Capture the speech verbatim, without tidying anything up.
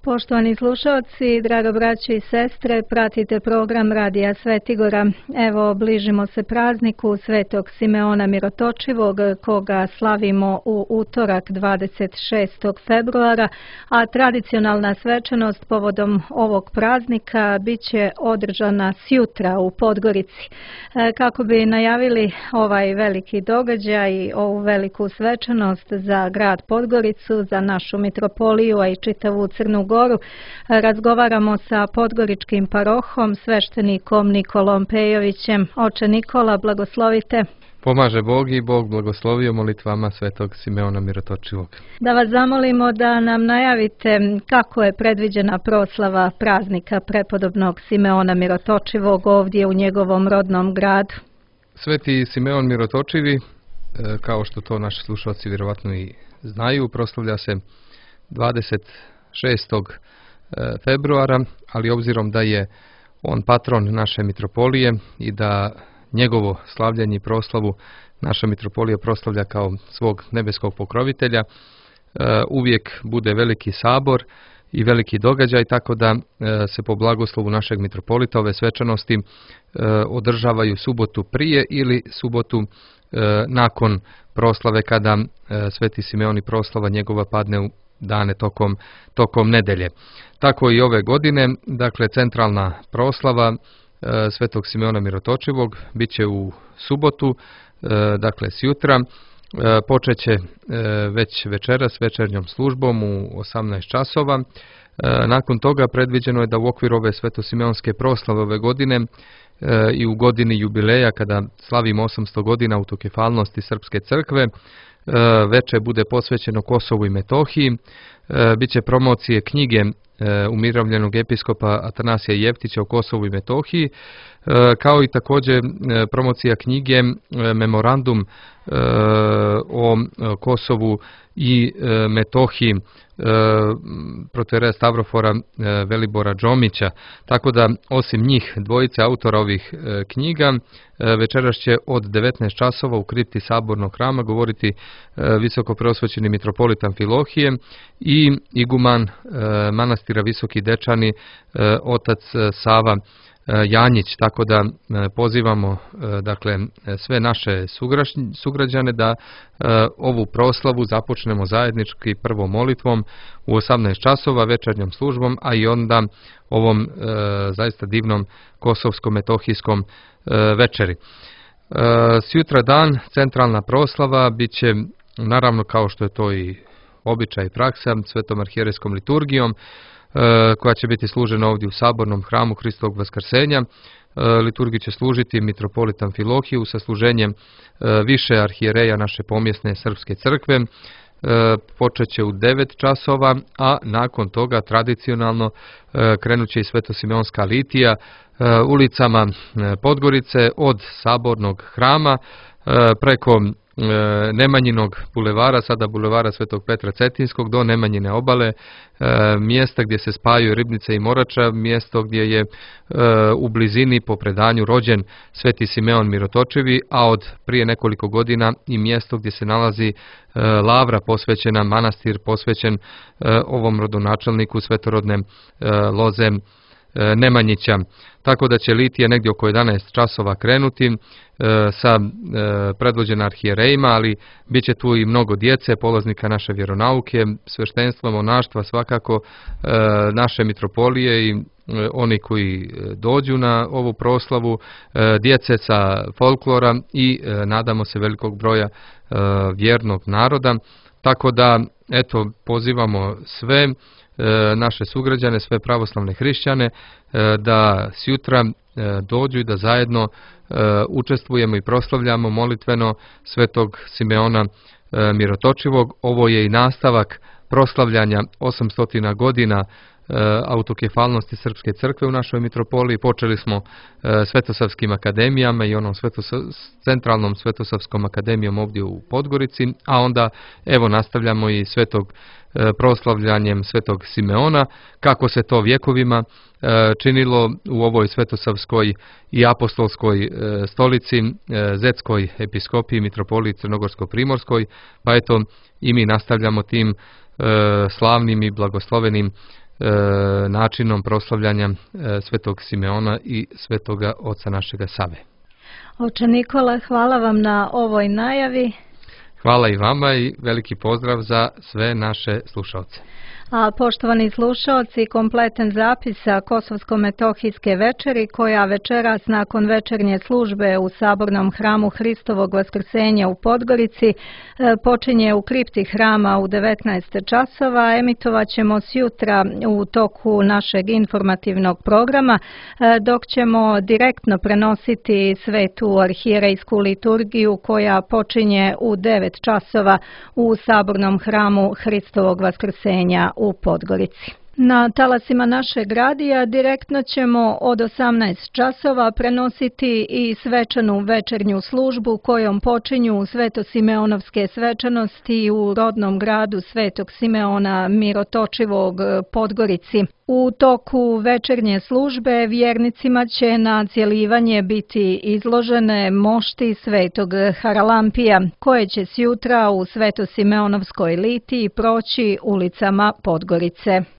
Poštovani slušalci, draga braćo i sestre, pratite program Radija Svetigora. Evo, bližimo se prazniku Svetog Simeona Mirotočivog, koga slavimo u utorak dvadeset šestog februara, a tradicionalna svečanost povodom ovog praznika bit će održana sjutra u Podgorici. Kako bi najavili ovaj veliki događaj i ovu veliku svečanost za grad Podgoricu, za našu mitropoliju, a i čitavu Crnu Goru, razgovaramo sa podgoričkim parohom, sveštenikom Nikolom Pejovićem. Oče Nikola, blagoslovite. Pomaže Bog i Bog blagoslovio molitvama Svetog Simeona Mirotočivog. Da vas zamolimo da nam najavite kako je predviđena proslava praznika prepodobnog Simeona Mirotočivog ovdje u njegovom rodnom gradu. Sveti Simeon Mirotočivi, kao što to naši slušalci vjerovatno i znaju, proslavlja se dvadeset šestog februara, ali obzirom da je on patron naše mitropolije i da njegovo slavljanje i proslavu naša mitropolija proslavlja kao svog nebeskog pokrovitelja, uvijek bude veliki sabor i veliki događaj, tako da se po blagoslovu našeg mitropolita ove svečanosti održavaju subotu prije ili subotu nakon proslave, kada Sveti Simeon i proslava njegova padne u dane tokom, tokom nedelje. Tako i ove godine, dakle centralna proslava e, Svetog Simeona Mirotočivog bit će u subotu, e, dakle sjutra, e, počet će e, već večeras večernjom službom u osamnaest časova. E, nakon toga predviđeno je da u okviru ove svetosimeonske proslave ove godine e, i u godini jubileja, kada slavimo osamsto godina autokefalnosti Srpske crkve, veče bude posvećeno Kosovu i Metohiji. Biće promocije knjige umirovljenog episkopa Atanasija Jeftića o Kosovu i Metohiji, kao i također promocija knjige Memorandum o Kosovu i Metohiji protoijereja Stavrofora Velibora Džomića. Tako da, osim njih dvojice autora ovih knjiga, večeras će od devetnaest časova u kripti Sabornog hrama govoriti visoko preosvećeni mitropolit Amfilohije i iguman manastira Visoki Dečani, otac Sava Janjić. Tako da pozivamo dakle sve naše sugrađane da ovu proslavu započnemo zajednički prvo molitvom u osamnaest časova, večernjom službom, a i onda ovom zaista divnom kosovsko-metohijskom večeri. Sjutra dan centralna proslava bit će, naravno kao što je to i običaj i praksa, svetom arhijerejskom liturgijom, koja će biti služena ovdje u Sabornom hramu Hristovog Vaskrsenja. Liturgiju će služiti mitropolit Amfilohiju sa služenjem više arhijereja naše pomjesne Srpske crkve. Počet će u devet časova, a nakon toga tradicionalno krenut će i svetosimeonska litija ulicama Podgorice od Sabornog hrama preko Nemanjinog bulevara, sada bulevara Svetog Petra Cetinskog, do Nemanjine obale, mjesta gdje se spajaju Ribnice i Morača, mjesto gdje je u blizini po predanju rođen Sveti Simeon Mirotočivi, a od prije nekoliko godina i mjesto gdje se nalazi lavra posvećena, manastir posvećen ovom rodonačelniku svetorodne loze Nemanjića. Tako da će litija negdje oko jedanaest časova krenuti e, sa e, predvođena arhijerejima, ali bit će tu i mnogo djece, polaznika naše vjeronauke, sveštenstva, monaštva, svakako e, naše mitropolije i e, oni koji dođu na ovu proslavu, e, djece sa folklora i e, nadamo se velikog broja e, vjernog naroda. Tako da, eto, pozivamo sve naše sugrađane, sve pravoslavne hrišćane da sjutra dođu i da zajedno učestvujemo i proslavljamo molitveno Svetog Simeona Mirotočivog. Ovo je i nastavak proslavljanja osamsto godina autokefalnosti Srpske crkve u našoj mitropoliji. Počeli smo Svetosavskim akademijama i onom svetosav, centralnom Svetosavskom akademijom ovdje u Podgorici, a onda evo nastavljamo i svetog proslavljanjem Svetog Simeona, kako se to vjekovima činilo u ovoj Svetosavskoj i apostolskoj stolici, Zetskoj episkopiji, mitropoliji Crnogorsko-primorskoj, pa eto i mi nastavljamo tim slavnim i blagoslovenim načinom proslavljanja Svetog Simeona i Svetoga oca našega Save. Oče Nikola, hvala vam na ovoj najavi. Hvala i vama i veliki pozdrav za sve naše slušalce. A poštovani slušalci, kompletan zapis sa Kosovsko-metohijske večeri, koja večeras nakon večernje službe u Sabornom hramu Hristovog Vaskrsenja u Podgorici počinje u kripti hrama u devetnaest časova. Emitovat ćemo sjutra u toku našeg informativnog programa, dok ćemo direktno prenositi svetu arhijerejsku liturgiju koja počinje u devet časova u Sabornom hramu Hristovog Vaskrsenja u Podgorici. Na talasima našeg radija direktno ćemo od osamnaest časova prenositi i svečanu večernju službu kojom počinju svetosimeonovske svečanosti u rodnom gradu Svetog Simeona Mirotočivog Podgorici. U toku večernje službe vjernicima će na cjelivanje biti izložene mošti Svetog Haralampija, koje će sjutra u Svetosimeonovskoj litiji proći ulicama Podgorice.